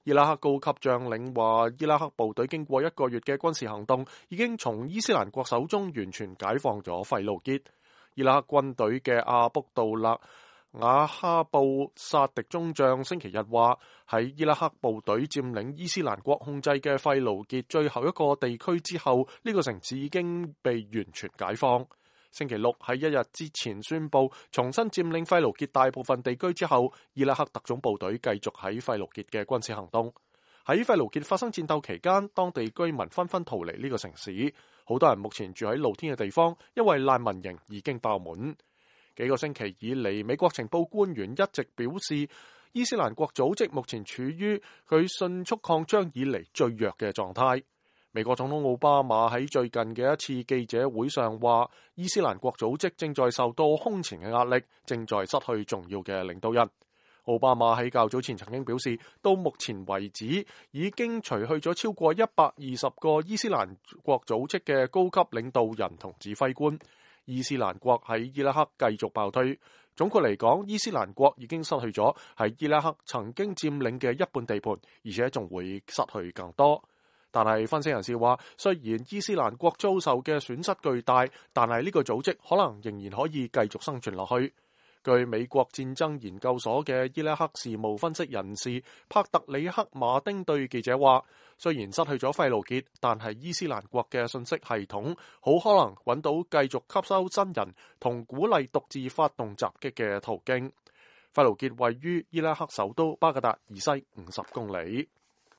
伊拉克高級將領話，伊拉克部隊經過1個月嘅軍事行動，已經從伊斯蘭國手中完全解放咗費盧傑。伊拉克軍隊嘅阿卜杜勒瓦哈布薩迪中將星期日話，喺伊拉克部隊佔領伊斯蘭國控制嘅費盧傑最後一個地區之後，呢個城市已經被完全解放。星期六喺1日之前宣布重新佔領費盧傑大部分地區之後，伊拉克特種部隊繼續喺費盧傑嘅軍事行動。喺費盧傑發生戰鬥期間，當地居民紛紛逃離呢個城市，好多人目前住喺露天嘅地方，因為難民營已經爆滿。幾個星期以嚟，美國情報官員一直表示，伊斯蘭國組織目前處於佢迅速擴張以嚟最弱嘅狀態。美國總統奧巴馬喺最近嘅一次記者會上話，伊斯蘭國組織正在受到空前嘅壓力，正在失去重要嘅領導人。奧巴馬喺較早前曾經表示，到目前為止已經除去咗超過120個伊斯蘭國組織嘅高級領導人同指揮官。伊斯蘭國喺伊拉克繼續爆推。總括嚟講，伊斯蘭國已經失去咗喺伊拉克曾經佔領嘅一半地盤，而且仲會失去更多。但係分析人士話，雖然伊斯蘭國遭受嘅損失巨大，但係呢個組織可能仍然可以繼續生存落去。據美國戰爭研究所嘅伊拉克事務分析人士帕特里克馬丁對記者話，雖然失去咗費盧傑，但係伊斯蘭國嘅信息系統好可能揾到繼續吸收新人同鼓勵獨自發動襲擊嘅途徑。費盧傑位於伊拉克首都巴格達以西50公里。